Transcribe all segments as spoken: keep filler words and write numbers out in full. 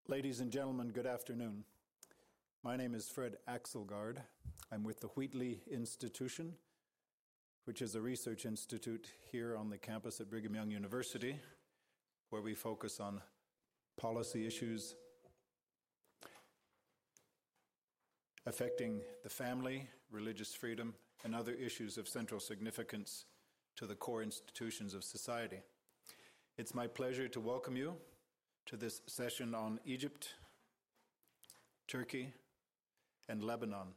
Ladies and gentlemen, good afternoon. My name is Fred Axelgaard. I'm with the Wheatley Institution, which is a research institute here on the campus at Brigham Young University, where we focus on policy issues affecting the family, religious freedom, and other issues of central significance to the core institutions of society. It's my pleasure to welcome you to this session on Egypt, Turkey, and Lebanon.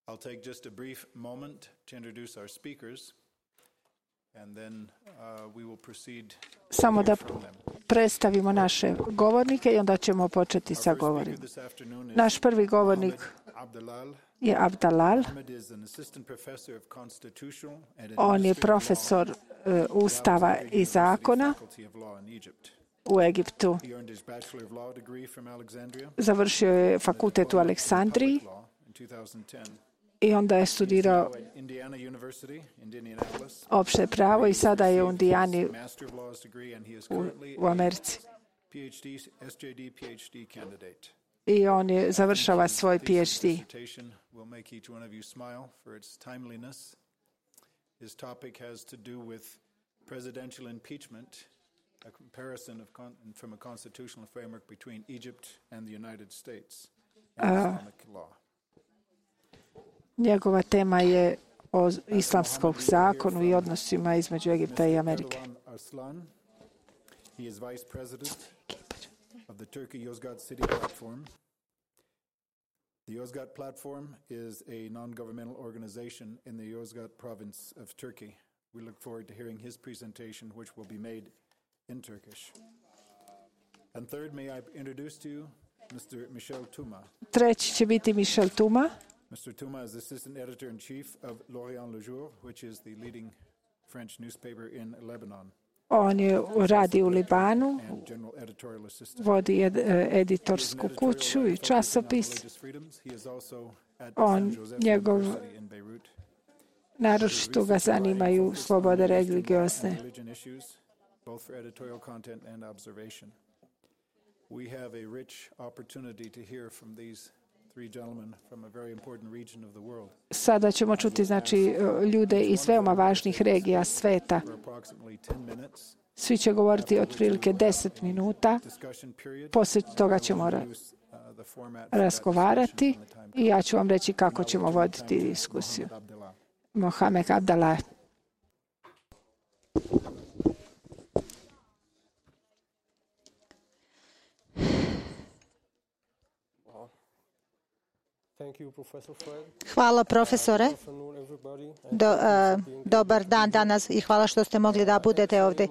I'll take just a brief moment to introduce our speakers, and then uh, we will proceed. Samo da predstavimo naše govornike i onda ćemo početi sa govorom. Naš prvi govornik je Abdalal. On je profesor uh, Ustava i zakona u Egiptu. Završio je fakultet u Aleksandriji i onda je studirao opšte pravo i sada je u Indijani u, u Americi. I on je završava svoj P H D. His topic has to do with presidential impeachment, a comparison of con- from a constitutional framework between Egypt and the United States and uh, Islamic law. Njegova tema je o islamskom zakonu i odnosima između Egipta i Amerike. He is vice president of the Turkey Yozgat City Platform. The Yozgat Platform is a non-governmental organization in the Yozgat province of Turkey. We look forward to hearing his presentation, which will be made in Turkish. And third, may I introduce to you Mister Michel Touma. Treći će biti Michel Touma. Mister Touma is assistant editor-in-chief of L'Orient Le Jour, which is the leading French newspaper in Lebanon. On je radi u Libanu, vodi ed, editorsku kuću i časopis. On, njegov, naročito ga zanimaju slobode religiozne. Sada ćemo čuti znači ljude iz veoma važnih regija sveta. Svi će govoriti otprilike deset minuta. Poslije toga ćemo ra- razgovarati i ja ću vam reći kako ćemo voditi diskusiju. Mohamed Abdallah. Hvala profesore. Do, uh, dobar dan danas i hvala što ste mogli da budete ovdje.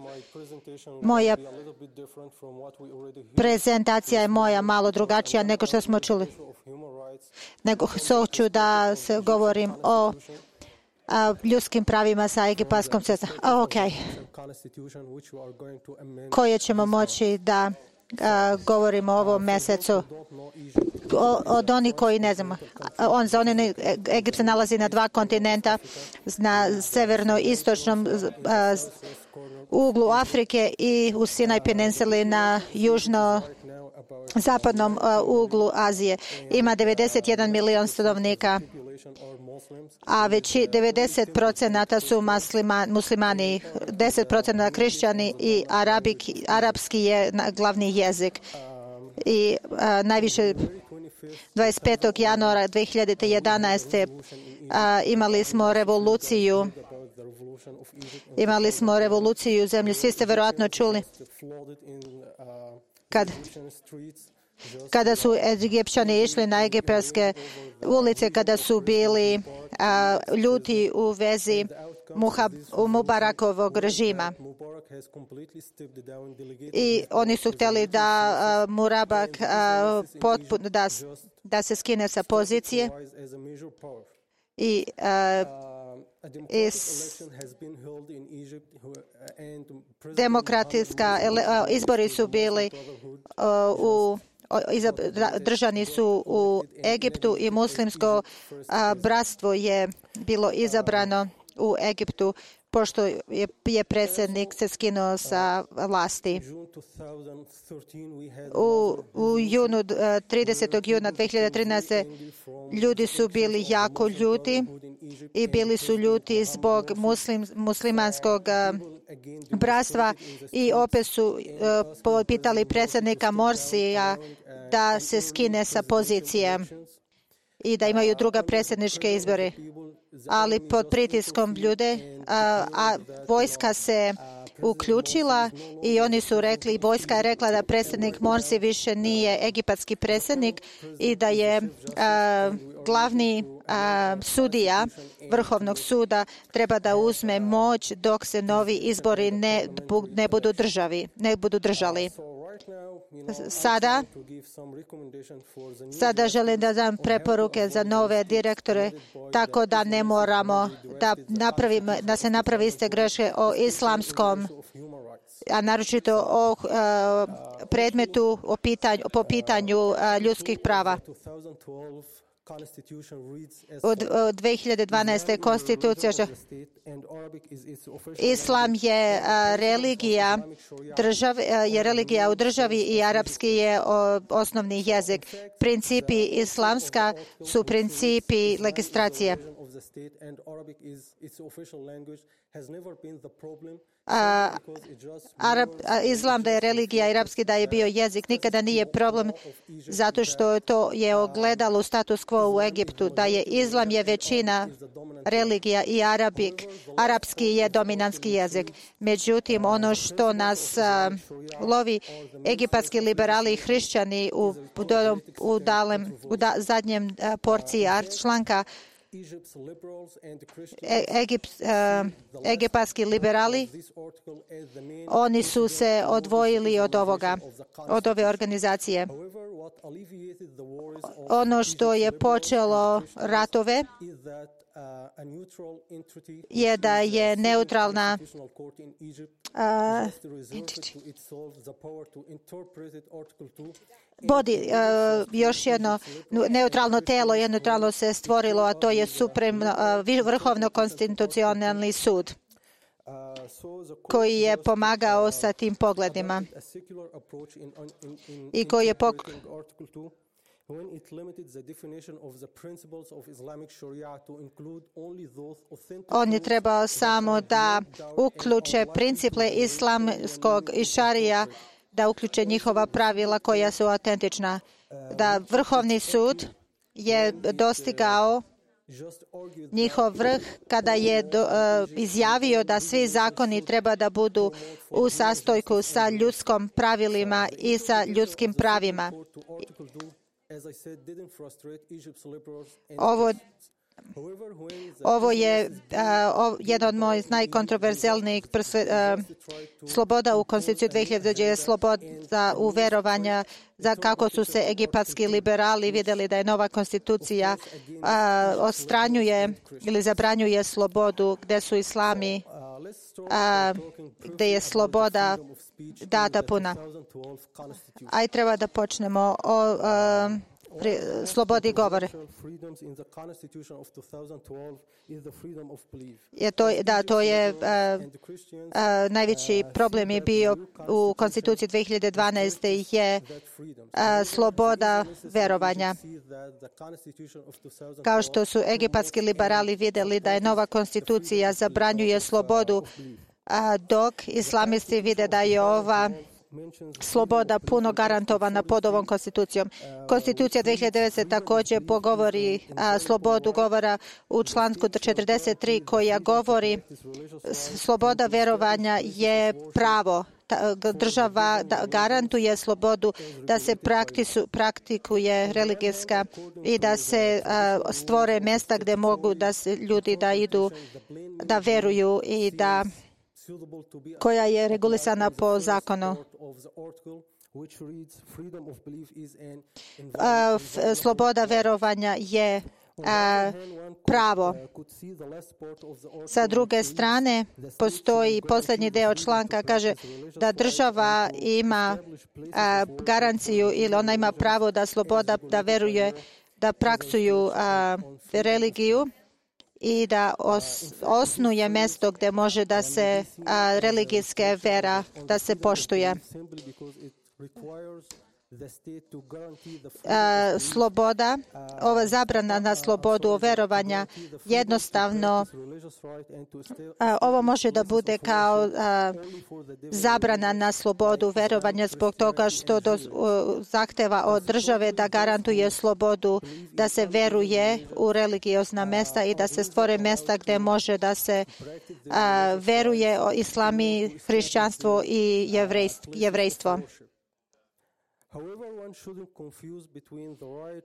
Moja prezentacija je moja malo drugačija nego što smo čuli. Nego hoću da se govorim o uh, ljudskim pravima sa egipatskom cestom. Ok. Koje ćemo moći da uh, govorimo o ovom mjesecu. Od onih koji ne znam, on za one, Egipt se nalazi na dva kontinenta, na severno-istočnom uh, uglu Afrike i u Sinaj peninsuli na južno-zapadnom uh, uglu Azije. Ima devedeset jedan milion stanovnika, a već devedeset procenata su muslima, muslimani, deset procenata kršćani i arabik, arapski je glavni jezik. I uh, najviše dvadeset petog januara dve hiljade jedanaeste. A, imali smo revoluciju. Imali smo revoluciju u zemlji. Svi ste verovatno čuli. Kad, kada su Egipćani išli na egipatske ulice, kada su bili a, ljuti u vezi Muhab, u Mubarakovog režima. I oni su htjeli da uh, Murabak uh, potpuno da, da se skine sa pozicije i uh, is, demokratska uh, izbori su bili uh, u držani su u Egiptu i muslimsko uh, bratstvo je bilo izabrano u Egiptu pošto je, je predsjednik se skinuo sa vlasti. U, u junu, tridesetog juna dve hiljade trinaeste. ljudi su bili jako ljuti i bili su ljuti zbog muslim, muslimanskog bratstva i opet su uh, pitali predsjednika Morsija da se skine sa pozicije i da imaju druga predsjedničke izbore. Ali pod pritiskom ljude, a, a vojska se uključila i oni su rekli, vojska je rekla da predsjednik Morsi više nije egipatski predsjednik i da je a, glavni a, sudija Vrhovnog suda treba da uzme moć dok se novi izbori ne, ne budu državi, ne budu držali. Sada, sada želim da dam preporuke za nove direktore, tako da ne moramo da, napravimo, da se napravi iste greške o islamskom, a naročito o uh, predmetu o pitanju, po pitanju uh, ljudskih prava. Od, od dve hiljade dvanaeste. konstitucija Islam je a, religija države, je religija u državi i arapski je o, osnovni jezik. Principi islamska su principi legislacije. A, Arab, a, islam da je religija, arapski da je bio jezik, nikada nije problem zato što to je ogledalo status quo u Egiptu, da je islam je većina religija i arabik, arapski je dominantski jezik. Međutim, ono što nas a, lovi, egipatski liberali i hrišćani u, u, dalem, u da, zadnjem a, porciji članka, E, Egip, uh, egipatski liberali, oni su se odvojili od ovoga, od ove organizacije. Ono što je počelo ratove je da je neutralna uh, Bodi, uh, još jedno neutralno telo, neutralno se stvorilo, a to je Suprem, uh, Vrhovno konstitucionalni sud, koji je pomagao sa tim pogledima i koji je pok... On je trebao samo da uključe principe islamskog i šarija, da uključe njihova pravila koja su autentična. Da Vrhovni sud je dostigao njihov vrh kada je do, uh, izjavio da svi zakoni treba da budu u sastojku sa ljudskom pravilima i sa ljudskim pravima. Ovo Ovo je uh, jedan od mojih najkontroverzijalnijih uh, sloboda u Konstituciji dve hiljade je sloboda u verovanja, za kako su se egipatski liberali vidjeli da je nova konstitucija uh, odstranjuje ili zabranjuje slobodu gdje su islami, uh, gdje je sloboda data puna. Aj treba da počnemo o uh, Pri, slobodi govore. Je to, da, to je uh, uh, najveći problem je bio u Konstituciji dve hiljade dvanaeste. je uh, sloboda verovanja. Kao što su egipatski liberali vidjeli da je nova konstitucija zabranjuje slobodu, uh, dok islamisti vide da je ova sloboda puno garantovana pod ovom konstitucijom. Konstitucija dve hiljade devete. također pogovori a, slobodu govora u članku četrdeset tri koja govori sloboda verovanja je pravo. Ta, država da, garantuje slobodu da se praktisu, praktikuje religijska i da se a, stvore mjesta gdje mogu da se ljudi da idu, da veruju i da koja je regulisana po zakonu. A, f, sloboda verovanja je a, pravo. Sa druge strane, postoji posljednji deo članka, kaže da država ima a, garanciju ili ona ima pravo da sloboda da veruje, da praksuju a, religiju i da os, osnuje mjesto gdje može da se a, religijske vera da se poštuje. A, sloboda, ova zabrana na slobodu verovanja jednostavno a, ovo može da bude kao a, zabrana na slobodu verovanja zbog toga što do, a, zahteva od države da garantuje slobodu da se veruje u religiozna mjesta i da se stvore mjesta gdje može da se a, veruje o islami, hrišćanstvo i jevrejstvo.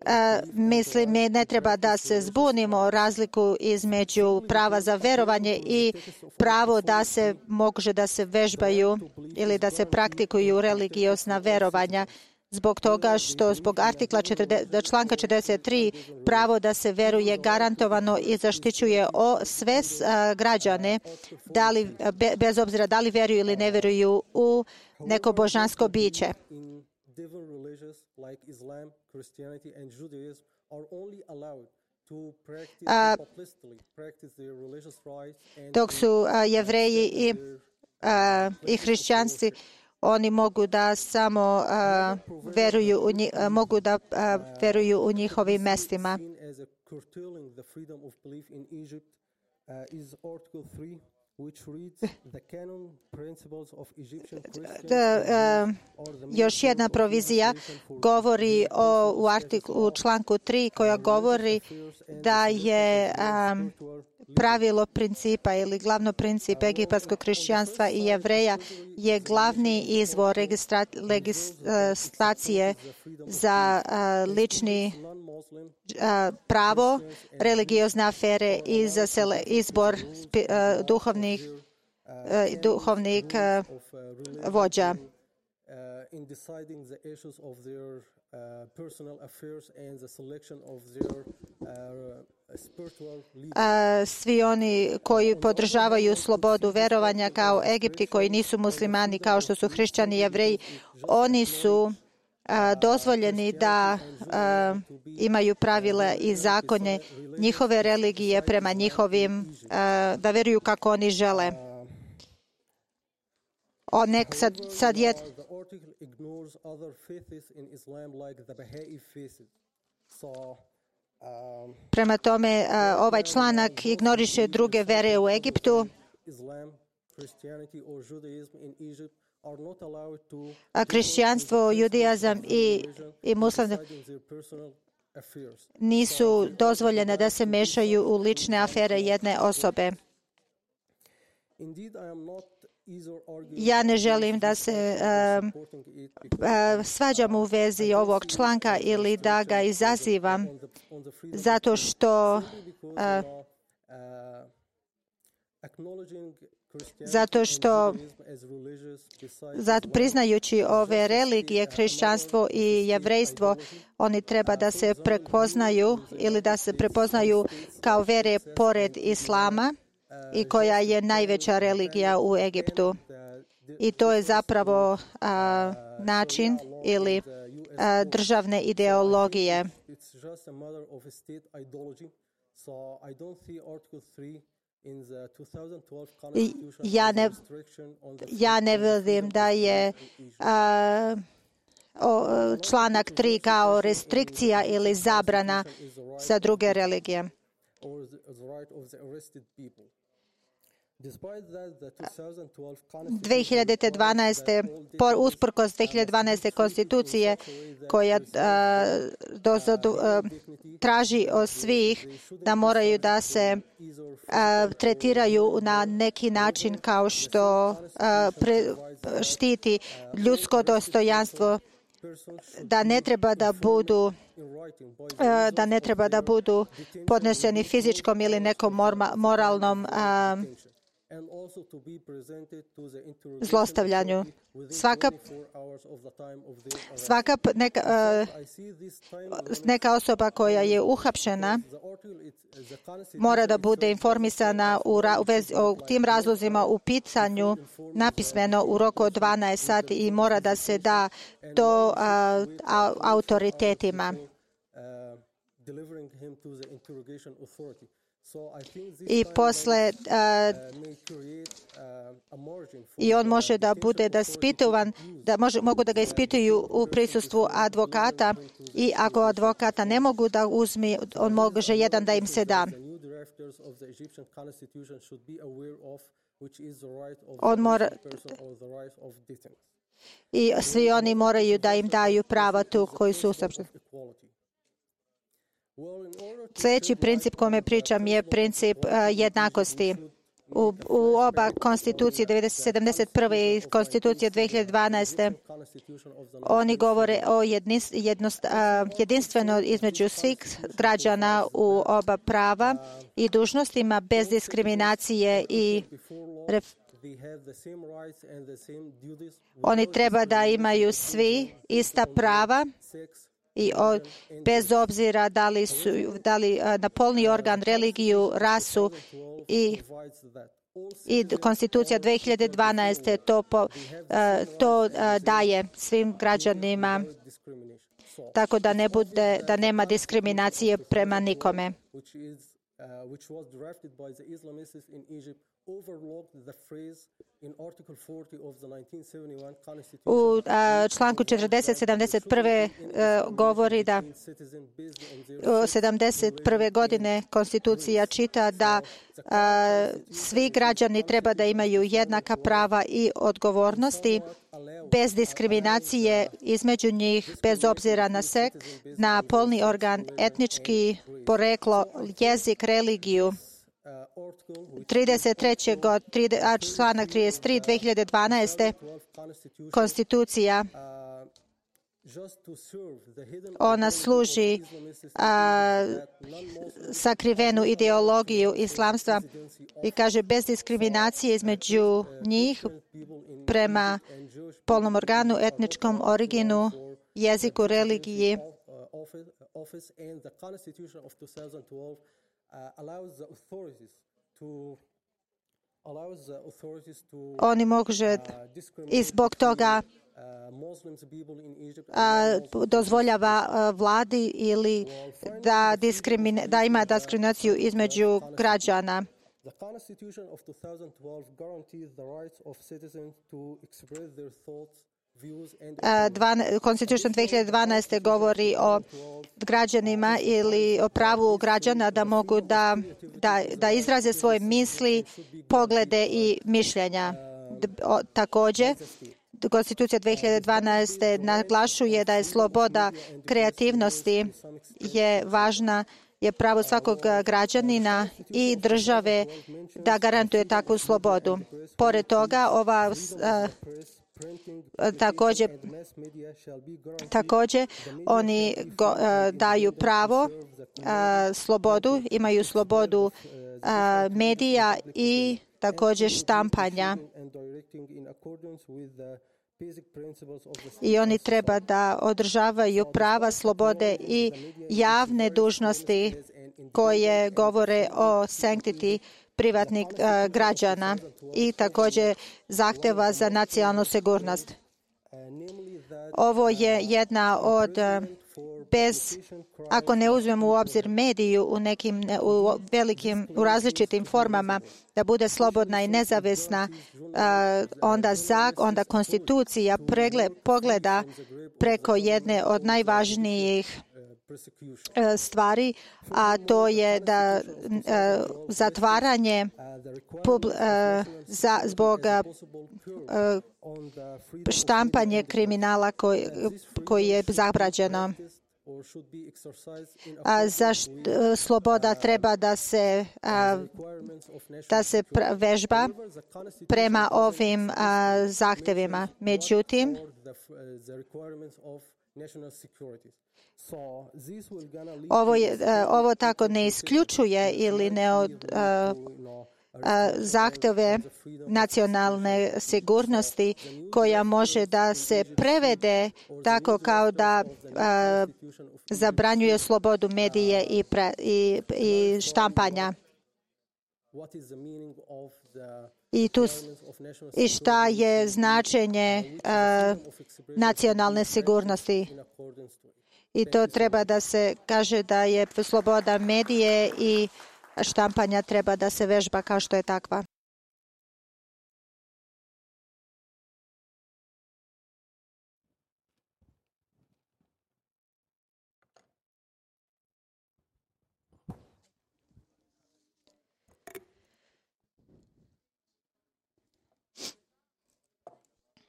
A, mislim, ne treba da se zbunimo razliku između prava za verovanje i pravo da se može da se vežbaju ili da se praktikuju religiozna verovanja. Zbog toga što zbog artikla četrdeset, članka četrdeset tri pravo da se veruje garantovano i zaštićuje o sve a, građane, da li, be, bez obzira da li veruju ili ne veruju u neko božansko biće. Different religions like Islam, Christianity, and Judaism are only allowed to practice, uh, publicly practice their religious rights. And dok su uh, jevreji i, uh, i hrišćanci, oni mogu da samo uh, veruju u njih, uh, mogu da uh, veruju u njihovim mestima. Which reads the canon principles of Egyptian Da, uh, još jedna provizija govori o, u, artiklu, u članku tri koja govori da je um, pravilo principa ili glavno princip egipatskog hrišćanstva i jevreja je glavni izvor registra, legislacije za uh, lični uh, pravo, religiozne afere i za sele, izbor spi, uh, duhovnih, uh, duhovnih uh, vođa. In deciding the issues of their uh, personal affairs and the selection of their uh, spiritual leaders. Svi oni koji podržavaju slobodu verovanja kao Egipti, koji nisu muslimani kao što su hrišćani i jevreji, oni su uh, dozvoljeni da uh, imaju pravila i zakonje njihove religije prema njihovim, uh, da veruju kako oni žele. O, nek sad, sad je... Prema tome, ovaj članak ignoriše druge vere u Egiptu. A hrišćanstvo, judaizam i, i muslim nisu dozvoljene da se mešaju u lične afere jedne osobe. Ja ne želim da se uh, uh, svađam u vezi ovog članka ili da ga izazivam, zato što uh, zato što zato priznajući ove religije, hrišćanstvo i jevrejstvo, oni treba da se prepoznaju ili da se prepoznaju kao vere pored islama i koja je najveća religija u Egiptu. I to je zapravo a, način ili a, državne ideologije. I ja ne, ja ne vidim da je a, o, članak tri kao restrikcija ili zabrana za druge religije. dvije hiljade dvanaeste usprkos dvije hiljade dvanaeste konstitucije koja a, do, do, a, traži od svih da moraju da se a, tretiraju na neki način kao što a, pre, štiti ljudsko dostojanstvo, da ne treba da budu da ne treba da budu podneseni fizičkom ili nekom moralnom a, zlostavljanju. Svaka, svaka neka, neka osoba koja je uhapšena mora da bude informisana u, u vezi, o tim razlozima u pitanju napismeno u roku od dvanaest sati i mora da se da to a, a, autoritetima. I posle uh, i on može da bude da ispitovan, da može, mogu da ga ispituju u prisustvu advokata i ako advokata ne mogu da uzmi, on može jedan da im se da. On mora, i svi oni moraju da im daju prava tu koji su usavršeni. Sljedeći princip kome pričam je princip uh, jednakosti. U, u oba konstitucije sedamdeset prve i konstitucije dve hiljade dvanaeste oni govore o jednis, jednost, uh, jedinstveno između svih građana u oba prava i dužnostima bez diskriminacije i ref, oni treba da imaju svi ista prava i o, bez obzira da li su da li na polni organ, religiju, rasu i i konstitucija dve hiljade dvanaeste to po, to daje svim građanima tako da ne bude da nema diskriminacije prema nikome. U a, članku četrdeset sedamdeset prve a, govori da u sedamdeset prve godine konstitucija čita da a, svi građani treba da imaju jednaka prava i odgovornosti bez diskriminacije između njih, bez obzira na sek, na polni organ, etnički poreklo, jezik, religiju. trideset treće god, a članak trideset tri dve hiljade dvanaeste konstitucija ona služi a, sakrivenu ideologiju islamstva i kaže bez diskriminacije između njih prema polnom organu, etničkom originu, jeziku, religiji. Oni može i zbog toga a, dozvoljava a, vladi ili da, diskrimine, da ima diskriminaciju između građana. Constitution dve hiljade dvanaeste govori o građanima ili o pravu građana da mogu da, da, da izraze svoje misli, poglede i mišljenja. Također, Konstitucija dve hiljade dvanaeste naglašuje da je sloboda kreativnosti je važna, je pravo svakog građanina i države da garantuje takvu slobodu. Pored toga, ova a, Također, također oni go, a, daju pravo, a, slobodu, imaju slobodu a, medija i također štampanja. I oni treba da održavaju prava, slobode i javne dužnosti koje govore o sanctity privatnih uh, građana i također zahtjeva za nacionalnu sigurnost. Ovo je jedna od uh, bez, ako ne uzmemo u obzir mediju u nekim u velikim, u različitim formama, da bude slobodna i nezavisna, uh, onda zak, onda konstitucija pregle, pogleda preko jedne od najvažnijih stvari, a to je da uh, zatvaranje pub, uh, za, zbog uh, štampanje kriminala koji, koji je zabranjeno. A zašto sloboda treba da se a, da se vežba prema ovim a, zahtjevima. Međutim, ovo, je, ovo tako ne isključuje ili ne od, a, a, zahtjeve nacionalne sigurnosti koja može da se prevede tako kao da a, zabranjuje slobodu medije i, pre, i, i štampanja. I, tu, I šta je značenje uh, nacionalne sigurnosti. I to treba da se kaže da je sloboda medije i štampanja treba da se vežba kao što je takva.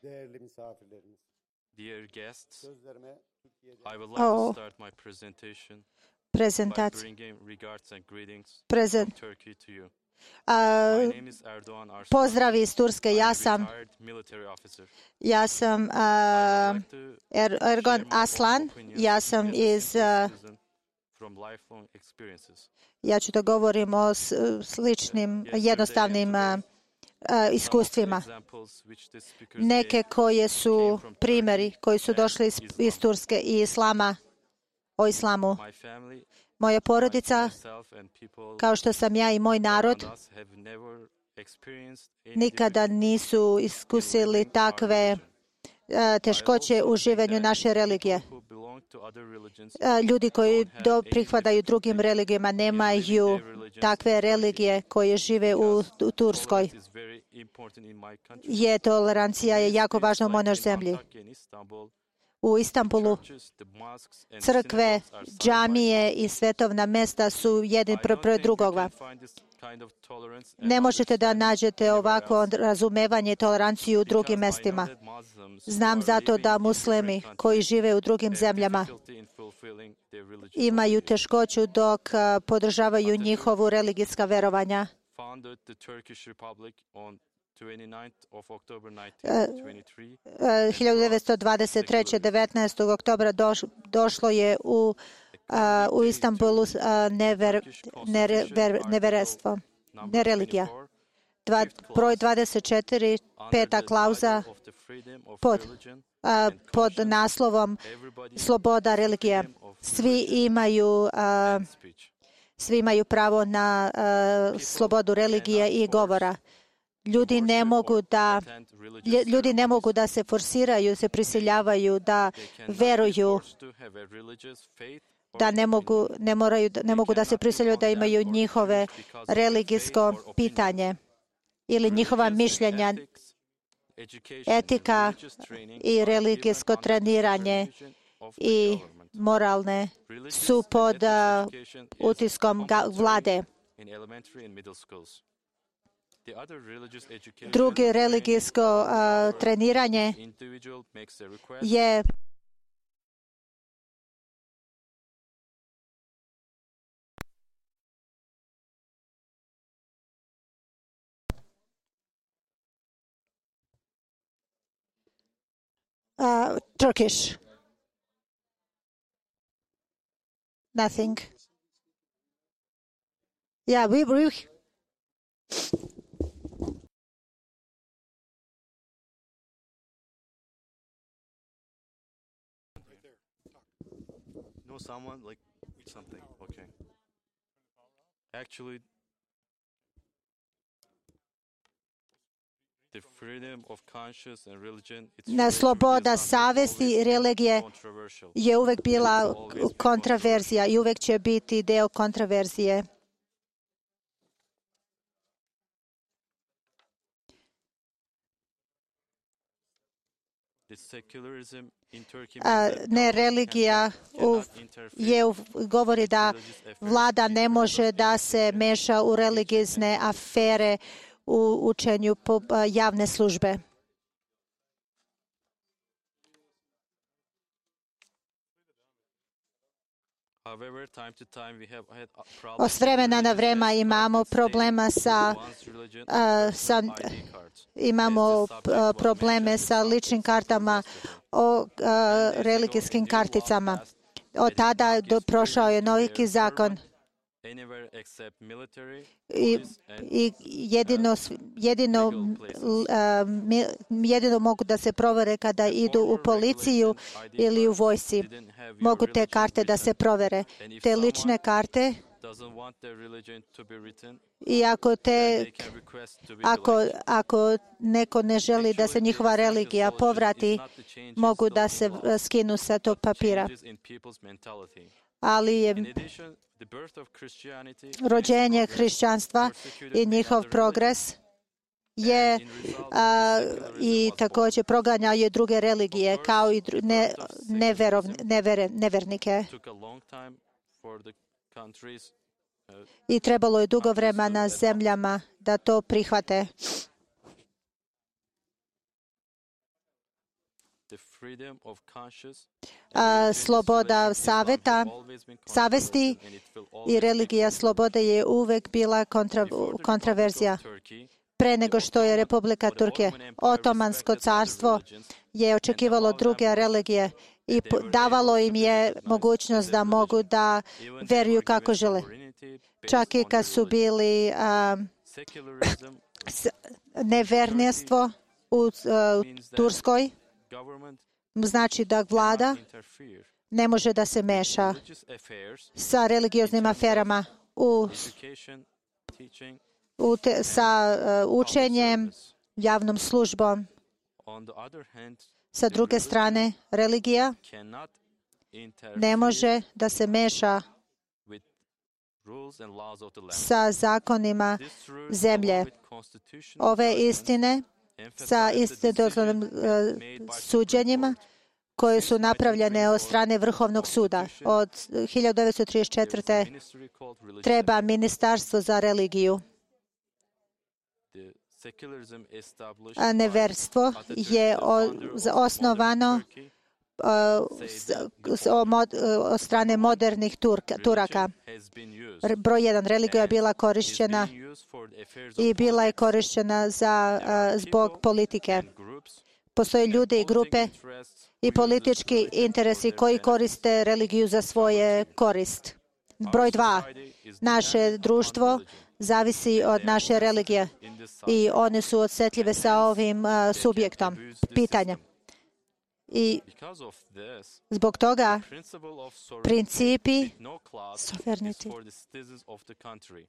Değerli misafirlerimiz. Dear guests, I would like Oh. to start my presentation by Prezentacija. bringing regards and greetings Prezent. from Turkey to you. A, My name is Erdoğan Arslan. pozdravi iz Turske. Ja I'm a sam, retired military officer. ja sam I a, would like to er, Ergon share my own Aslan. opinions Ja sam as a iz, simple a, citizen from lifelong experiences. ja ću da govorim o s- sličnim, jednostavnim a, a, iskustvima. Some of the examples which the speakers Neke gave koje su came from primjeri Turkey koji su and došli iz, Islam. iz Turske i Islama, o Islamu. My family, Moja porodica, myself and people kao što sam ja i moj narod, around us have never experienced any nikada difficulty nisu in iskusili living our takve religion. a, teškoće u življenju naše religije. Who belong to other religions A, Ljudi koji do, prihvataju drugim religijama nemaju takve religije koje žive u, u Turskoj. is very important in my country. Je tolerancija je jako važna u mojoj Like in zemlji. Antakya in Istanbul, U Istanbulu churches, the mosques and crkve, synagogues are side by džamije i svetovna mesta su jedni I pro- don't pored think you drugoga. can find this kind of tolerance and Ne možete da understanding nađete anywhere ovako else. razumevanje i toleranciju u drugim Because I know mestima. that Muslims who Znam are zato living da in muslimi different koji countries žive u drugim have zemljama difficulty in fulfilling their religious imaju obligations. teškoću dok a, podržavaju njihovu religijska verovanja. Founded the Turkish Republic on twenty-ninth of October Uh, nineteen twenty-three. E, hiljadu devetsto dvadeset treće. devetnaestog oktobra doš, došlo je u, a, u Istanbulu a, never, nere, ver, neverstvo, nereligija. Dva, broj dvadeset četiri, peta klauza pod, a, pod naslovom sloboda religije. Svi imaju, a, svi imaju pravo na a, slobodu religije i govora. Ljudi ne mogu da lje- ljudi ne mogu da se forsiraju, se prisiljavaju da veruju, da ne mogu, ne moraju, ne mogu da se prisiljaju da imaju njihove religijsko pitanje ili njihova mišljenja, etika i religijsko treniranje i moralne su pod a, utiskom ga- vlade. Drugi religijsko a, treniranje je uh, Turkish. Nothing. Yeah, we, we Know someone like something. Okay. Actually, the freedom of conscience and religion. It's na sloboda savesti i religije controversial. je uvek bila kontraverzija i uvek će biti deo kontraverzije. The secularism in Turkey A, means that ne government religija u, cannot interfere je u, govori da religious affairs vlada ne može da se meša u religijne afere u učenju po, a, javne službe. However, time to time we have had uh, O problems s vremena na with vreme religious imamo aspects problema sa one's religion a, or sa I D cards. imamo a, probleme sa ličnim kartama o a, religijskim karticama. Od tada do, prošao je noviki zakon Anywhere except military, i, police and i jedino, s- jedino, l- a, mi- jedino mogu da se provere kada idu u policiju ili u vojsci. didn't have your Mogu te religion karte da se written. provere. Te lične karte, Doesn't want their religion to be written, i ako te they can request to be Ako, elected. ako neko ne želi da se Actually, njihova the religija essential solution povrati, is not the changes mogu of da the se law, skinu sa tog papira. changes in people's mentality. Ali je In addition, rođenje hrišćanstva i njihov progres je a, i također proganjaju druge religije kao i dru, ne, neverov, nevere, nevernike. I trebalo je dugo vremena zemljama da to prihvate. A, sloboda saveta, savesti i religija slobode je uvek bila kontra, kontraverzija. Pre nego što je Republika Turke, Otomansko carstvo je očekivalo druge religije i davalo im je mogućnost da mogu da veruju kako žele. Čak i kad su bili a, nevernjestvo u, u Turskoj, znači da vlada ne može da se meša sa religioznim aferama u, u te, sa uh, učenjem, javnom službom. Sa druge strane, religija ne može da se meša sa zakonima zemlje. Ove istine sa istodobnim uh, suđenjima koje su napravljene od strane Vrhovnog suda. Od hiljadu devetsto trideset četvrte. treba ministarstvo za religiju. A neverstvo je osnovano od strane modernih Turaka. Broj jedan, religija je bila korišćena i bila je korišćena za, zbog politike. Postoje ljudi i grupe i politički interesi koji koriste religiju za svoje korist. Broj dva, naše društvo zavisi od naše religije i one su osjetljive sa ovim uh, subjektom pitanja. I zbog toga principi sovereignty,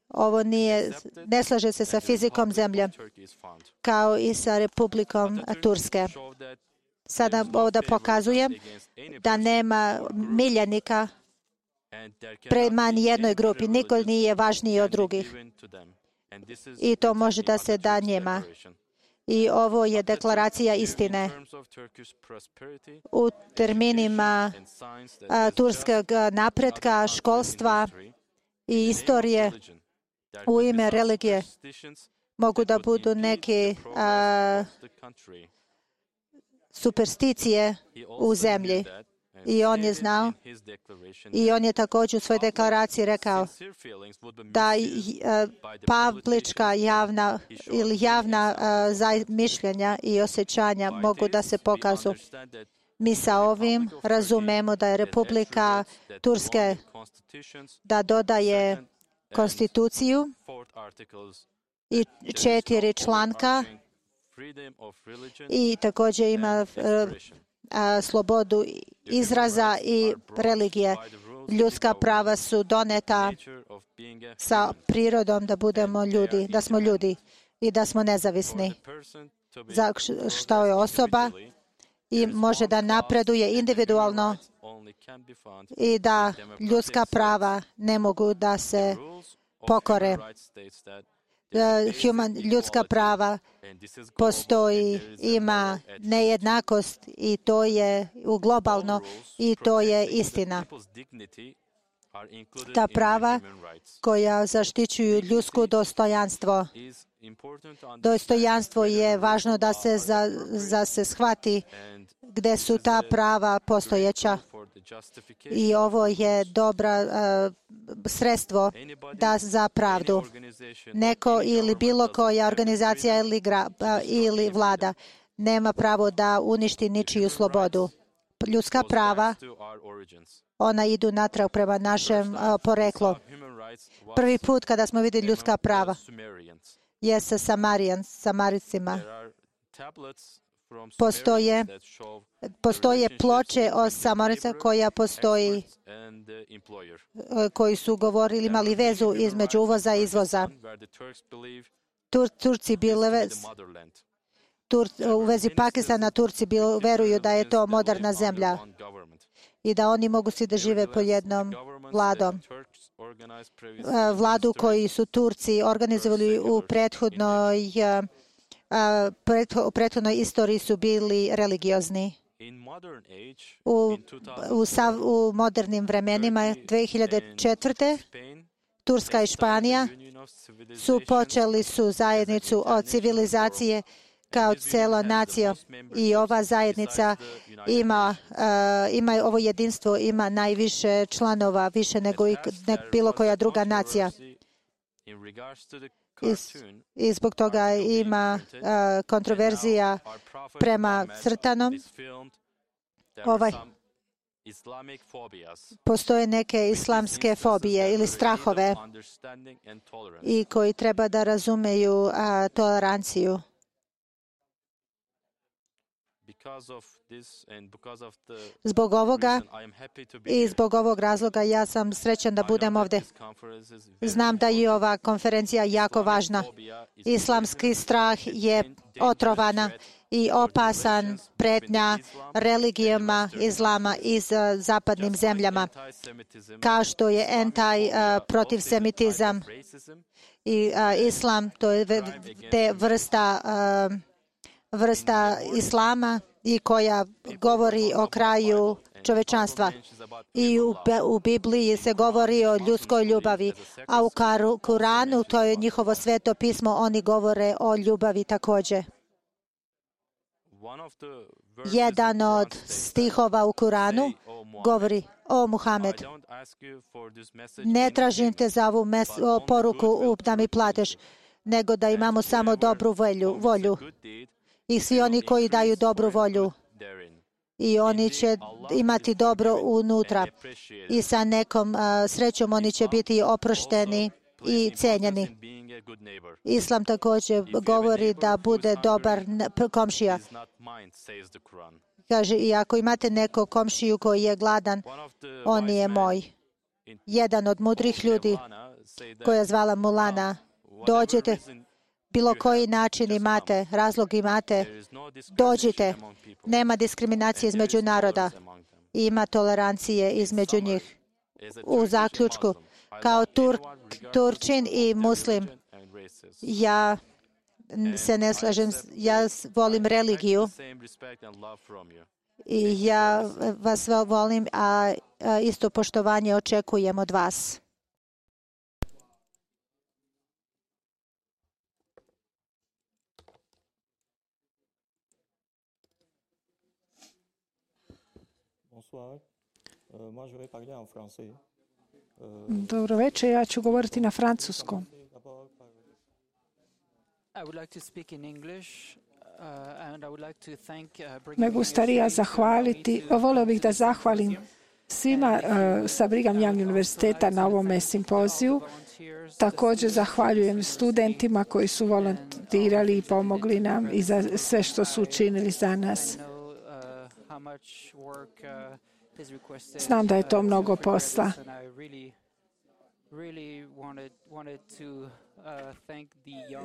ovo nije, ne slaže se sa fizikom zemlje kao i sa Republikom Turske. Sada ovdje pokazujem da nema miljenika prema nijednoj grupi. Niko nije važniji od drugih. I to može da se da njima. I ovo je deklaracija istine. U terminima a, turskog napretka, školstva i istorije u ime religije mogu da budu neke a, supersticije u zemlji. I on je znao i on je također u svojoj deklaraciji rekao da publička javna ili javna uh, mišljenja i osjećanja mogu da se pokažu. Mi sa ovim razumemo da je Republika Turske da dodaje konstituciju i četiri članka i također ima uh, A, slobodu izraza i religije. Ljudska prava su doneta sa prirodom da budemo ljudi, da smo ljudi i da smo nezavisni. Za što je osoba i može da napreduje individualno i da ljudska prava ne mogu da se pokore. Human, ljudska prava postoji, ima nejednakost i to je u globalno i to je istina. Ta prava koja zaštićuju ljudsko dostojanstvo. Dostojanstvo je važno da se, za, za se shvati gde su ta prava postojeća. I ovo je dobra uh, sredstvo da za pravdu. Neko ili bilo koja organizacija ili, gra, uh, ili vlada nema pravo da uništi ničiju slobodu. Ljudska prava, ona idu natrag prema našem uh, poreklu. Prvi put kada smo vidjeli ljudska prava je sa Samarijan, Samaricima. Postoje, postoje ploče o Samarica koja postoji, koji su govorili, imali vezu između uvoza i izvoza. Tur, Turci bile Tur, u vezi Pakistana Turci bil, veruju da je to moderna zemlja i da oni mogu svi da žive pod jednom vladom. vladu koji su Turci organizovali u prethodnoj, u prethodnoj istoriji su bili religiozni. U, u, sav, u modernim vremenima dve hiljade četvrte. Turska i Španija su počeli su zajednicu od civilizacije kao cijela nacija i ova zajednica ima, uh, ima ovo jedinstvo, ima najviše članova, više nego i nek bilo koja druga nacija. I, i zbog toga ima uh, kontroverzija prema crtanom. Ovaj, postoje neke islamske fobije ili strahove i koji treba da razumeju uh, toleranciju. Zbog ovoga i zbog ovog razloga ja sam srećan da budem ovdje. Znam da je ova konferencija jako važna. Islamski strah je otrovana i opasan pretnja religijama islama iz zapadnim zemljama, kao što je anti-protivsemitizam i islam, to je te vrsta vrsta islama i koja govori o kraju čovečanstva. I u, u Bibliji se govori o ljudskoj ljubavi, a u Kuranu, to je njihovo sveto pismo, oni govore o ljubavi također. Jedan od stihova u Kuranu govori o Muhammed. Ne tražim te za ovu mes, o poruku da mi plateš, nego da imamo samo dobru volju. volju. I svi oni koji daju dobru volju i oni će imati dobro unutra i sa nekom uh, srećom oni će biti oprošteni i cijenjeni. Islam također govori da bude dobar komšija. Kaže, i ako imate nekog komšiju koji je gladan, on je moj. Jedan od mudrih ljudi koja je zvala Mulana, dođete, bilo koji način imate, razlog imate, dođite. Nema diskriminacije između naroda. Ima tolerancije između njih. U zaključku, kao Tur, Turčin i Muslim, ja se ne slažem, ja volim religiju i ja vas volim, a isto poštovanje očekujem od vas. Dobro večer, ja ću govoriti na francuskom. Me gustaría zahvaliti, volio bih da zahvalim svima uh, sa Brigham Young univerziteta na ovome simpoziju. Također zahvaljujem studentima koji su volontirali i pomogli nam i za sve što su učinili za nas. Znam da je to mnogo posla.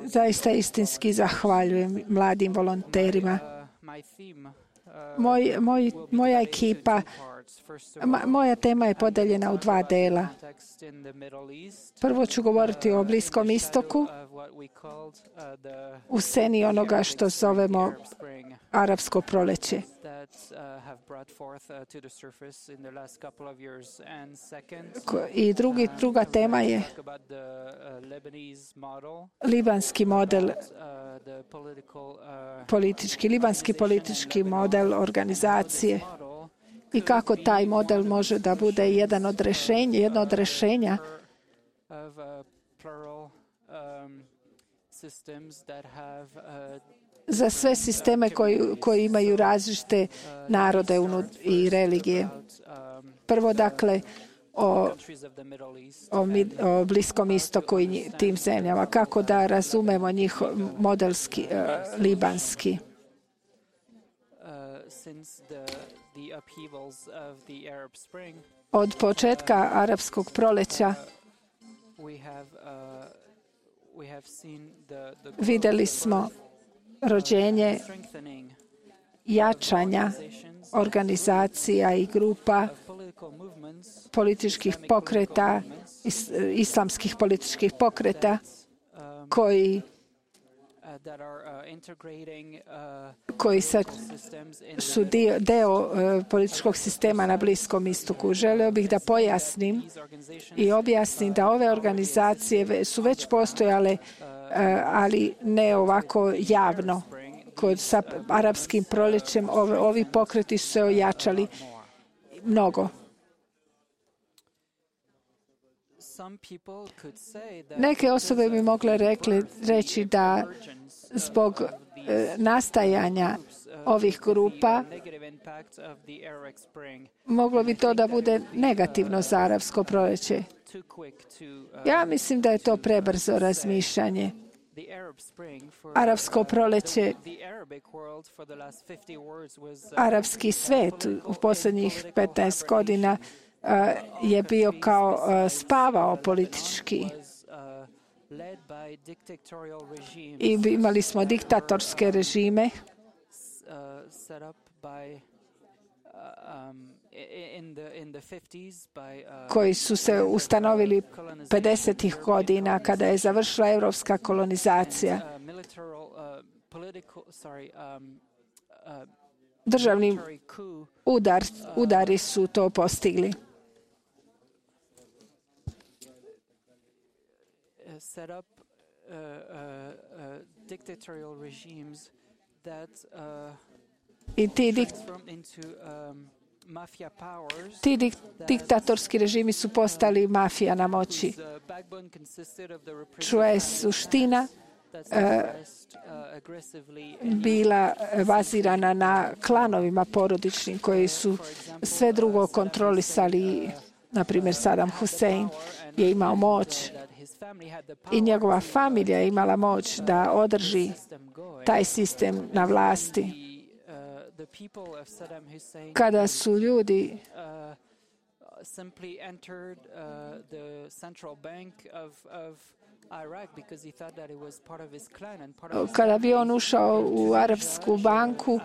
Zaista istinski zahvaljujem mladim volonterima. Moj, moj, moja ekipa, moja tema je podeljena u dva dela. Prvo ću govoriti o Bliskom istoku, u sceni onoga što zovemo arapsko proljeće. I drugi, druga tema je libanski model, politički, libanski politički model organizacije i kako taj model može da bude jedan od rješenja, jedno od rješenja za sve sisteme koji, koji imaju različite narode i religije. Prvo, dakle, o, o, o Bliskom istoku i tim zemljama. Kako da razumemo njihov modelski, uh, libanski. Od početka arapskog proljeća vidjeli smo rođenje jačanja organizacija i grupa političkih pokreta is, islamskih političkih pokreta koji koji sad su dio, deo uh, političkog sistema na Bliskom istoku. Želeo bih da pojasnim i objasnim da ove organizacije su već postojale, uh, ali ne ovako javno. Kod sa arapskim proljećem ove, ovi pokreti su se ojačali mnogo. Neke osobe bi mogle rekli, reći da zbog e, nastajanja ovih grupa moglo bi to da bude negativno za arapsko proljeće. Ja mislim da je to prebrzo razmišljanje. Arapsko proljeće, arapski svet u posljednjih petnaest godina uh, je bio kao uh, spavao politički. I imali smo diktatorske režime koji su se ustanovili pedesetih godina kada je završila europska kolonizacija. Državni udar, udari su to postigli. I ti dik- Ti dik, diktatorski režimi su postali mafija na moći. Čuva je suština e, bila bazirana na klanovima porodičnim koji su sve drugo kontrolisali. Na primjer, Saddam Hussein je imao moć i njegova familija je imala moć da održi taj sistem na vlasti. Kada su ljudi kada bi on ušao u Arapsku banku,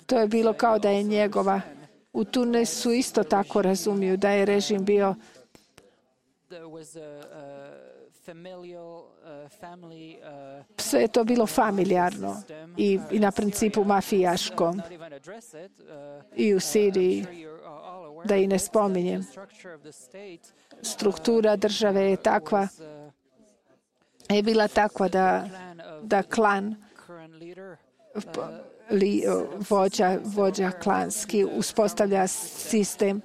to je bilo kao da je njegova. U Tunisu isto tako razumiju da je režim bio sve je to bilo familijarno i, i na principu mafijaškom. I u Siriji, da i ne spominjem, struktura države je takva, je bila takva da, da klan li, vođa, vođa klanski uspostavlja sistem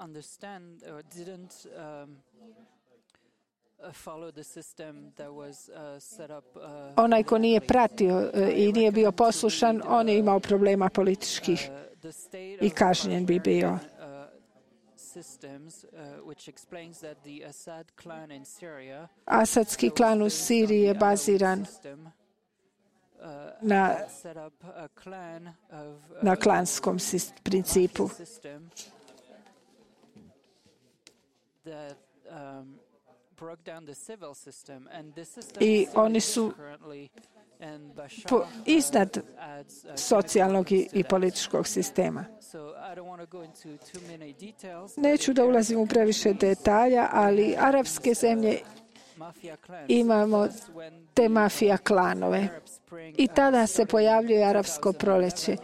understand or didn't um, follow the system that was uh, set up. Uh, Onaj ko nije pratio uh, i nije bio poslušan, on je imao problema političkih i kažnjen bi bio. Asadski klan u Siriji je baziran na, na klanskom principu. I oni su po, iznad socijalnog i, i političkog sistema. Neću da ulazim u previše detalja, ali arapske zemlje imamo te mafija klanove. I tada se pojavljuje arapsko proljeće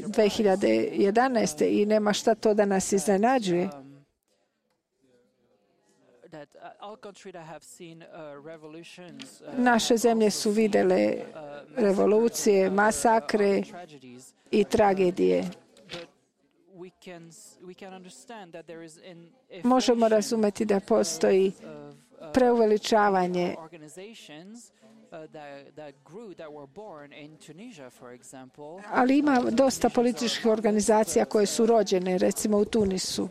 dve hiljade jedanaeste. i nema šta to da nas iznenađuje. Naše zemlje su vidjele revolucije, masakre i tragedije. Možemo razumjeti da postoji preuveličavanje ali ima dosta političkih organizacija koje su rođene, recimo u Tunisu.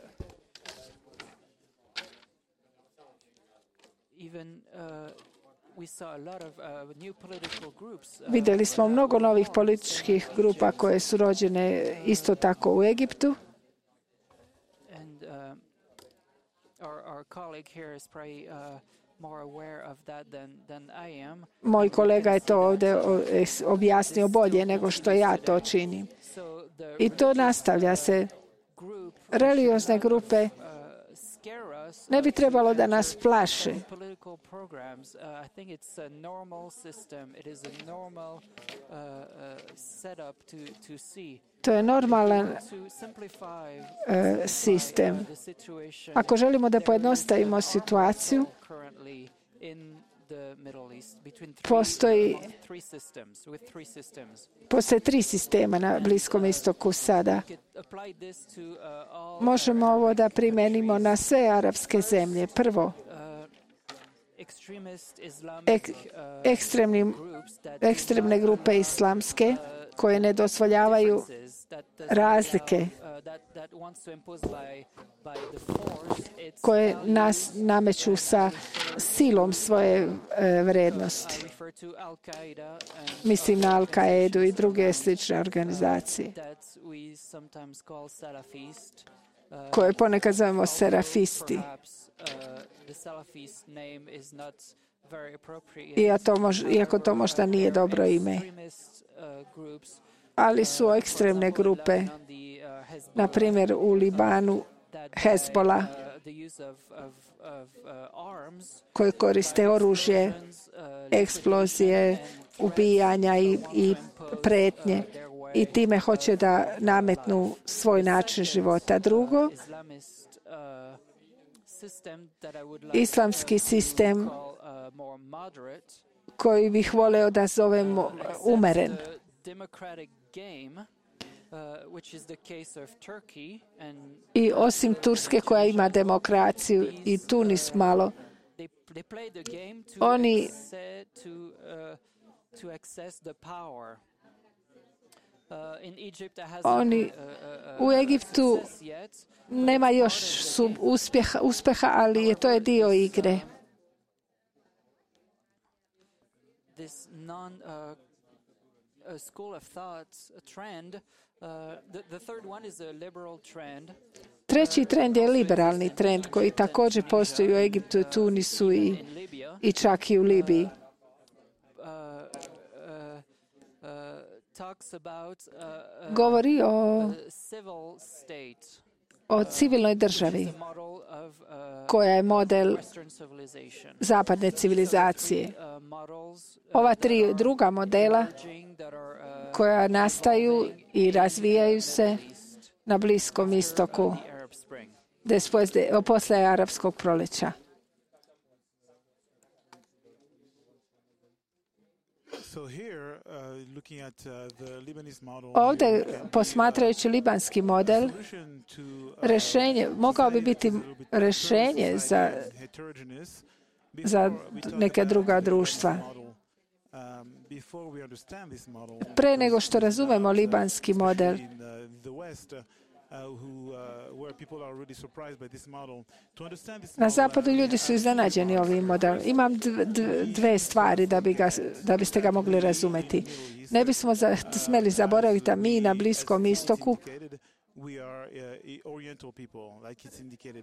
Vidjeli smo mnogo novih političkih grupa koje su rođene isto tako u Egiptu. Moj kolega je to ovdje objasnio bolje nego što ja to činim. I to nastavlja se. religiozne grupe ne bi trebalo da nas plaše. To je normalan uh, sistem. Ako želimo da pojednostavimo situaciju, postoji, postoje tri sistema na Bliskom istoku sada. Možemo ovo da primenimo na sve arapske zemlje. Prvo, ek, ekstremni, ekstremne grupe islamske koje ne dozvoljavaju razlike, koje nas nameću sa silom svoje e, vrednosti. Mislim na Al-Kaidu i druge slične organizacije, koje ponekad zovemo serafisti. Iako to možda nije dobro ime. Ali su ekstremne grupe, na primjer u Libanu, Hezbollah, koje koriste oružje, eksplozije, ubijanja i, i pretnje i time hoće da nametnu svoj način života. Drugo, islamski sistem koji bih voleo da zovemo umeren. I osim Turske koja ima demokraciju i Tunis malo, oni oni u Egiptu nema još uspjeha, uspjeha, ali je to je dio igre. Treći trend je liberalni trend koji također postoji u Egiptu, Tunisu i, i čak i u Libiji. Govori o, o civilnoj državi koja je model zapadne civilizacije. Ova tri druga modela koja nastaju i razvijaju se na Bliskom istoku posle arapskog proleća. Ovdje, posmatrajući libanski model, rešenje, mogao bi biti rešenje za, za neke druga društva. Pre nego što razumemo libanski model, na zapadu ljudi su iznenađeni ovim modelom. Imam dve stvari da, bi ga, da biste ga mogli razumeti. Ne bismo za, smeli zaboraviti da mi na Bliskom istoku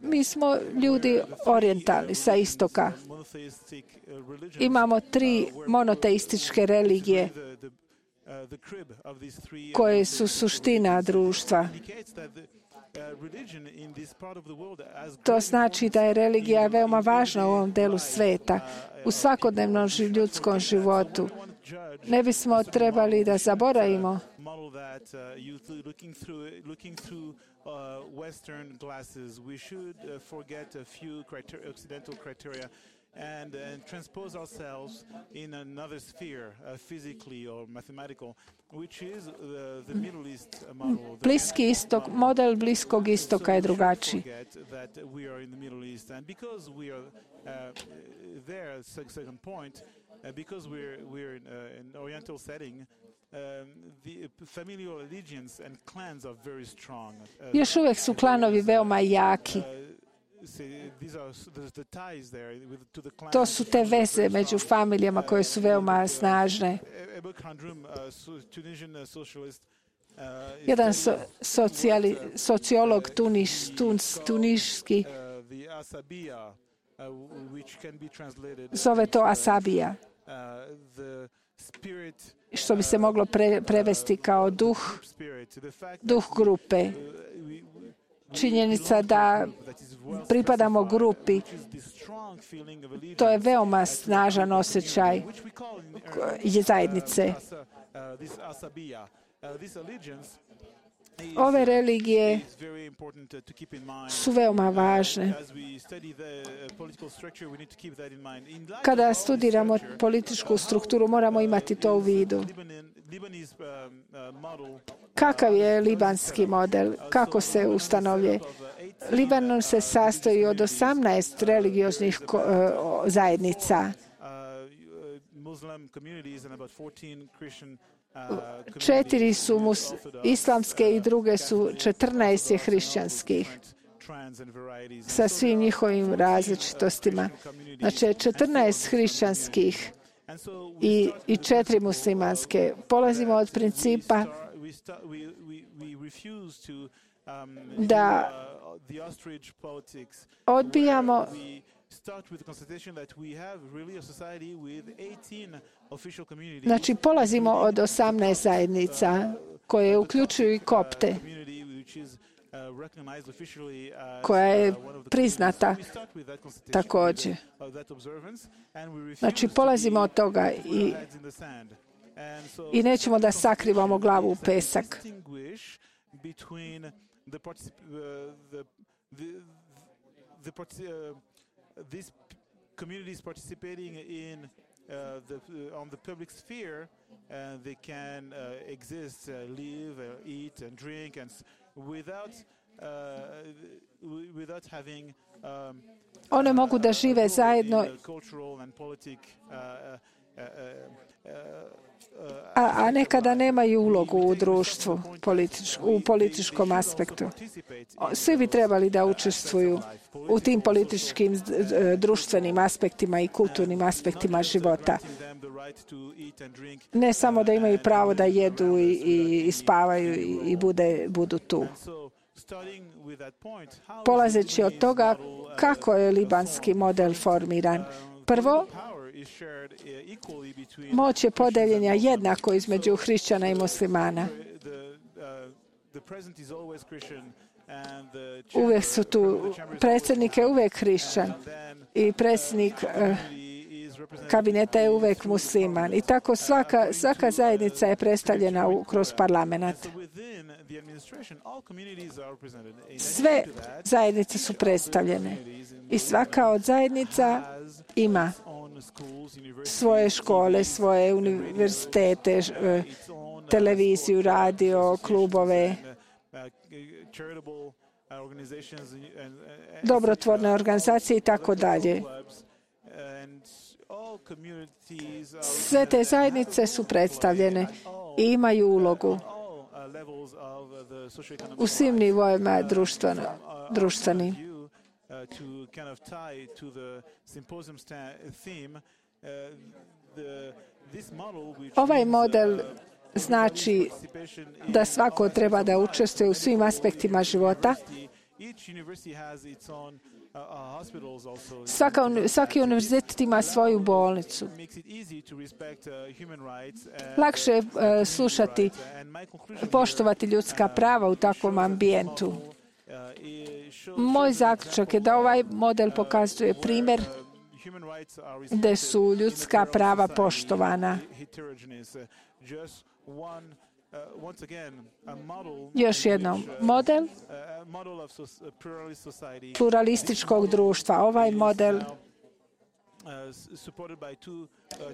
mi smo ljudi orijentalni sa istoka. Imamo tri monoteističke religije koje su suština društva. To znači da je religija veoma važna u ovom delu sveta, u svakodnevnom ljudskom životu. Ne bismo trebali da zaboravimo and, and transpose ourselves in another sphere, uh, physically or mathematical, which is the, the Middle East model. Bliski istok, model Bliskog istoka je drugačiji. That we are in the Middle East, and because we are uh, there, second point, uh, because we're we're in uh, an Oriental setting. Um, the familial allegiance and clans are very strong. Uh, Još uvijek su klanovi veoma jaki. To su te veze među familijama koje su veoma snažne. Jedan so, socijali, sociolog tunis, tunis, tuniški zove to asabija, što bi se moglo pre, prevesti kao duh, duh grupe. činjenica da pripadamo grupi, to je veoma snažan osjećaj zajednice. Ove religije su veoma važne. Kada studiramo političku strukturu, moramo imati to u vidu. Kakav je libanski model? Kako se ustanovlje? Libanon se sastoji od osamnaest religioznih zajednica. Četiri su mus, islamske i druge su četrnaest je hrišćanskih sa svim njihovim različitostima. Znači četrnaest hrišćanskih i, i četiri muslimanske. Polazimo od principa da odbijamo Znači, polazimo od osamnaest zajednica koje uključuju i kopte, koja je priznata također. Znači, polazimo od toga i, i nećemo da sakrivamo glavu u pesak. These communities participating in uh, the, uh, on the public sphere, uh, they can uh, exist, uh, live, uh, eat, and drink, and s- without uh, w- without having. Um, One mogu da žive zajedno, cultural and politic. Uh, uh, uh, uh, a, a nekada nemaju ulogu u društvu, politič, u političkom aspektu. Svi bi trebali da učestvuju u tim političkim, društvenim aspektima i kulturnim aspektima života. Ne samo da imaju pravo da jedu i, i, i spavaju i, i bude, budu tu. Polazeći od toga kako je libanski model formiran. Prvo, moć je podeljenja jednako između hrišćana i muslimana. Uvijek su tu, predsjednik je uvijek hrišćan i predsjednik eh, kabineta je uvijek musliman. I tako svaka, svaka zajednica je predstavljena u, kroz parlament. Sve zajednice su predstavljene i svaka od zajednica ima svoje škole, svoje univerzitete, televiziju, radio, klubove, dobrotvorne organizacije i tako dalje. Sve te zajednice su predstavljene i imaju ulogu u svim nivoima društvenim. Ovaj model znači da svako treba da učestvuje u svim aspektima života. Svaka, svaki univerzitet ima svoju bolnicu. Lakše je uh, slušati, poštovati ljudska prava u takvom ambijentu. Moj zaključak je da ovaj model pokazuje primjer gdje su ljudska prava poštovana. Još jednom, model pluralističkog društva. Ovaj model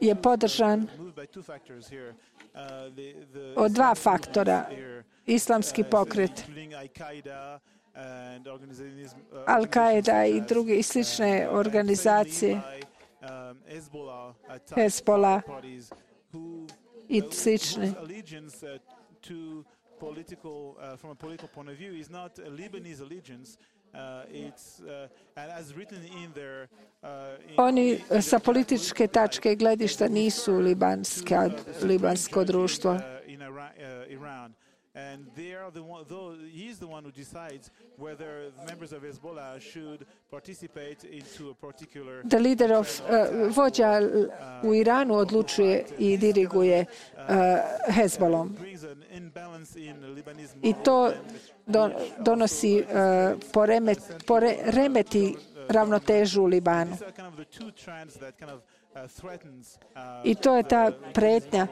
je podržan od dva faktora. Islamski pokret, Al-Qaeda i druge i slične organizacije, Hezbollah i slične. Oni sa političke tačke gledišta nisu libanska, libansko društvo. and they are the one. Though he is the one who decides whether the members of Hezbollah should participate into a particular. The leader of uh, vođa u Iranu odlučuje i diriguje uh, Hezbolom. I to do, donosi uh, poremet, pore, remeti ravnotežu u Libanu. I to je ta pretnja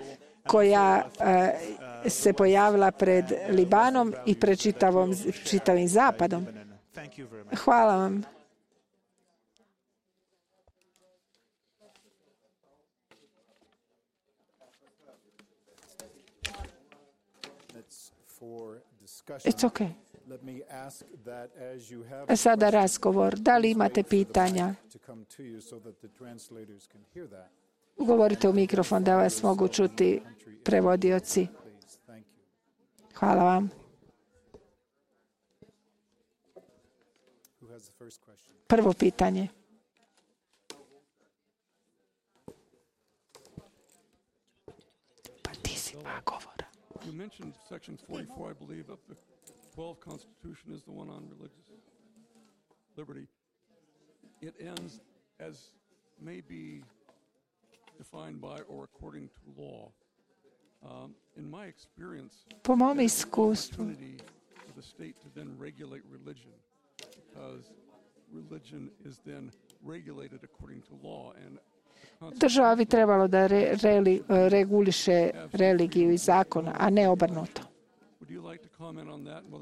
koja uh, se pojavila pred Libanom i pred čitavom, čitavim Zapadom. Hvala vam. It's okay. Sada razgovor. Da li imate pitanja? Govorite u mikrofon da vas mogu čuti prevodioci. Hvala vam. Prvo pitanje. Pa ti si dva govora. You mentioned Section forty-four, I believe, of the twelfth Constitution is the one on religious liberty. It ends as may be defined by or according to law. Um, in my experience, po mom iskustvu, for the state to then regulate religion, because religion is then regulated according to law, and država bi trebalo da re, re, reguliše religiju i zakon, a ne obrnuto.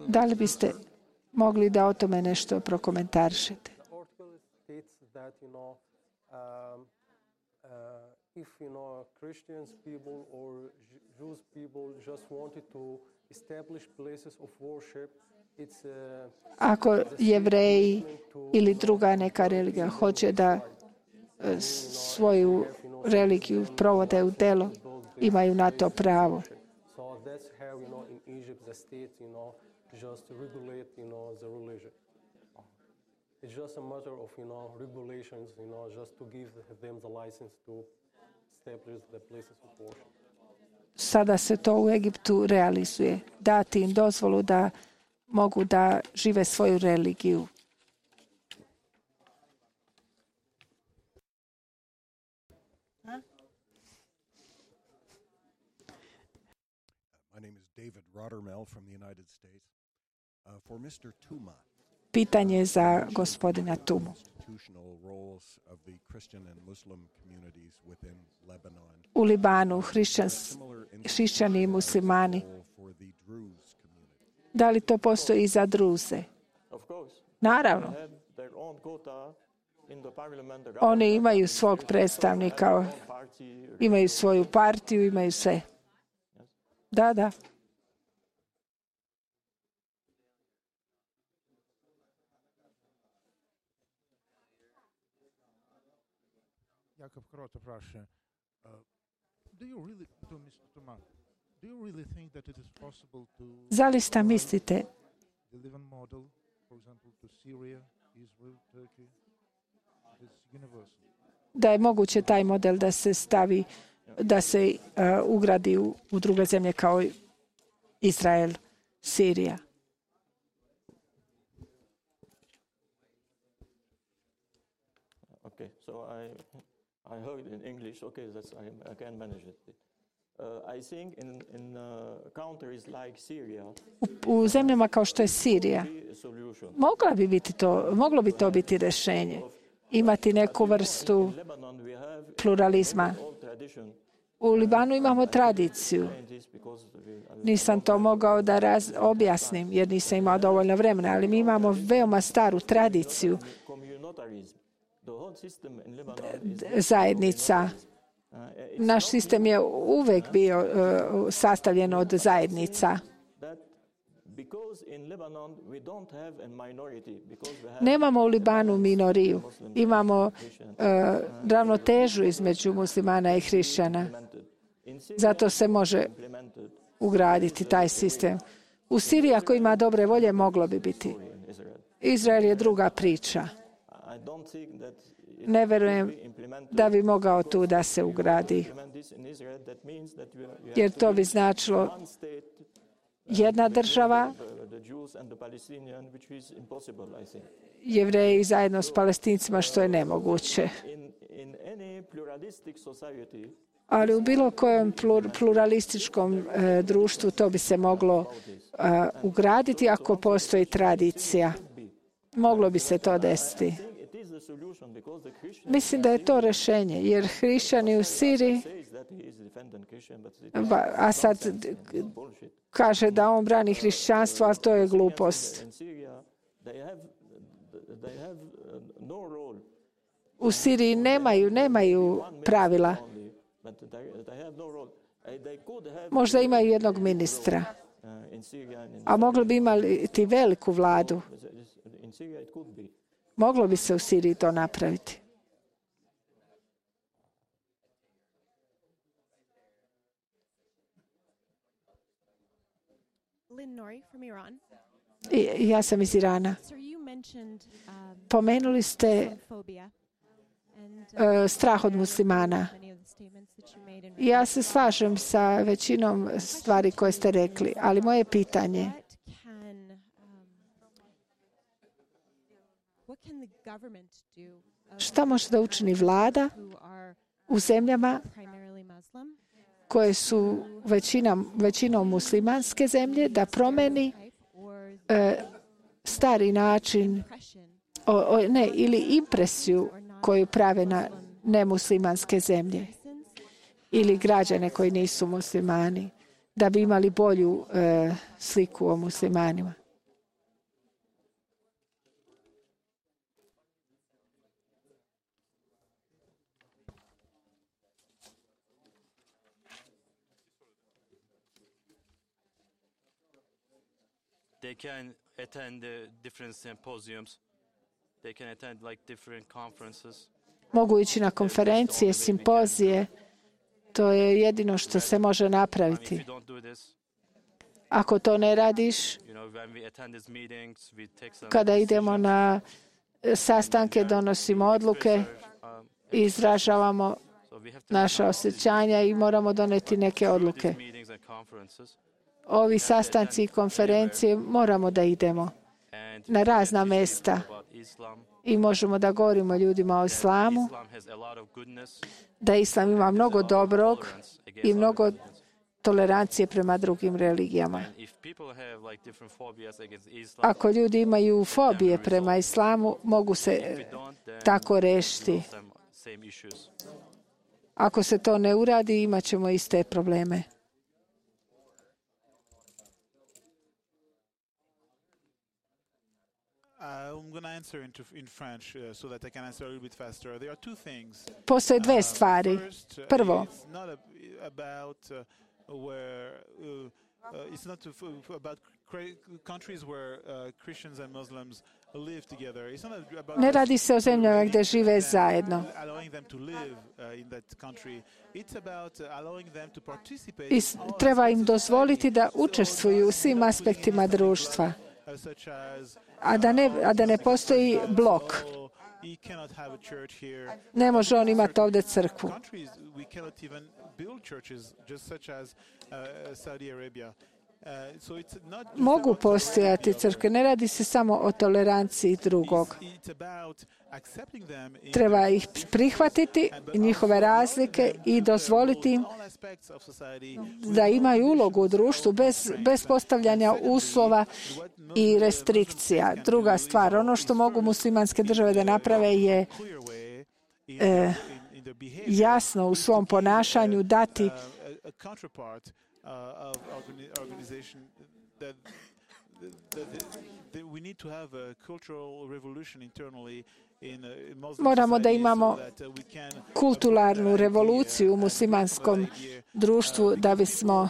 Da li biste mogli da o tome nešto prokomentarišete? If you know Christians people or Jews people just wanted to establish places of worship, it's a, ako Jevreji ili druga neka religija hoće da svoju religiju provode u delo, imaju na to pravo. So that's how you know in Egypt the state you know just regulate you know the religion. It's just a matter of you know regulations you know just to give them the license to establish the places of worship. Sada se to u Egiptu realizuje. Dati im dozvolu da mogu da žive svoju religiju. My name is David Rottermel from the United States. Uh, for mister Tuma. Pitanje za gospodina Tumu. U Libanu hrišćani i muslimani. Da li to postoji i za Druze? Naravno. Oni imaju svog predstavnika, imaju svoju partiju, imaju sve. Da, da. Jakub Krota praša, do you really, to mister Tuma, do you really think that it is possible to Zaista mislite the Lebanon model, for example, to Syria, Israel, Turkey, it is universal? Da je moguće taj model da se stavi, da se uh, ugradi u, u druge zemlje kao Izrael, Sirija. Okay, so I I heard in English. Okay, that's I, I can manage it. Uh, I think in in uh, countries like Syria, U, u zemljama kao što je Sirija, mogla bi biti to, moglo bi to biti rješenje. Imati neku vrstu pluralizma. U Libanu imamo tradiciju. Nisam to mogao da raz, objasnim jer nisam imao dovoljno vremena, ali mi imamo veoma staru tradiciju zajednica. Naš sistem je uvek bio uh, sastavljen od zajednica. Nemamo u Libanu minoriju. Imamo uh, ravnotežu između muslimana i hrišćana. Zato se može ugraditi taj sistem. U Siriji, ako ima dobre volje, moglo bi biti. Izrael je druga priča. Ne verujem da bi mogao tu da se ugradi. Jer to bi značilo jedna država, Jevreji zajedno s Palestincima, što je nemoguće. Ali u bilo kojem pluralističkom e, društvu to bi se moglo e, ugraditi ako postoji tradicija. Moglo bi se to desiti. Mislim da je to rješenje, jer hrišćani u Siriji, a sad kaže da on brani hrišćanstvo, ali to je glupost. U Siriji nemaju, nemaju pravila. Možda imaju jednog ministra, a mogli bi imati veliku vladu. Moglo bi se u Siriji to napraviti. I, ja sam iz Irana. Pomenuli ste uh, strah od muslimana. Ja se slažem sa većinom stvari koje ste rekli, ali moje pitanje šta može da učini vlada u zemljama koje su većina, većinom muslimanske zemlje da promeni e, stari način o, o, ne, ili impresiju koju prave na nemuslimanske zemlje ili građane koji nisu muslimani, da bi imali bolju e, sliku o muslimanima. They can attend uh, different symposiums. They can attend like different conferences. Mogu ići na konferencije, simpozije. To je jedino što se može napraviti. Ako to ne radiš, kada idemo na sastanke, donosimo odluke i izražavamo naša osjećanja i moramo doneti neke odluke. Ovi sastanci i konferencije moramo da idemo na razna mesta i možemo da govorimo ljudima o islamu, da islam ima mnogo dobrog i mnogo tolerancije prema drugim religijama. Ako ljudi imaju fobije prema islamu, mogu se tako rešiti. Ako se to ne uradi, imat ćemo iste probleme. Postoje dve stvari. Prvo, ne radi se o zemljama gdje žive zajedno. I treba im dozvoliti da učestvuju u svim aspektima društva. A da, ne, a da ne postoji blok. Ne može on imati ovdje crkvu. Mogu postojati crkve. Ne radi se samo o toleranciji drugog. Treba ih prihvatiti, njihove razlike i dozvoliti im da imaju ulogu u društvu bez, bez postavljanja uslova i restrikcija. Druga stvar, ono što mogu muslimanske države da naprave je e, jasno u svom ponašanju dati moramo da imamo kulturalnu revoluciju u muslimanskom društvu da bismo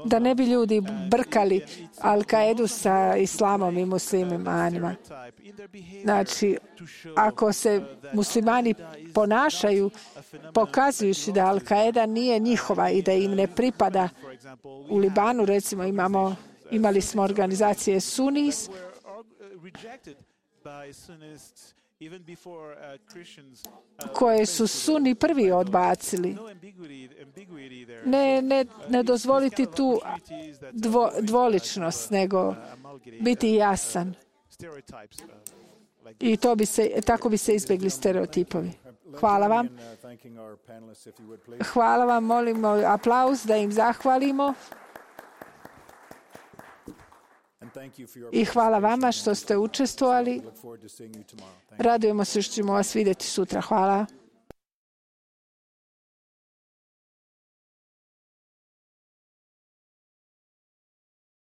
da ne bi ljudi brkali Al-Kaidu sa islamom i muslimanima. Znači, ako se muslimani ponašaju pokazujući da Al-Kaida nije njihova i da im ne pripada, u Libanu recimo imamo, imali smo organizacije Sunnis koje su Suni prvi odbacili. Ne, ne, ne dozvoliti tu dvo, dvoličnost, nego biti jasan. I to bi se, tako bi se izbjegli stereotipovi. Hvala vam. Hvala vam, molimo aplauz da im zahvalimo. I hvala vama što ste učestvovali. Radujemo se što ćemo vas vidjeti sutra. Hvala.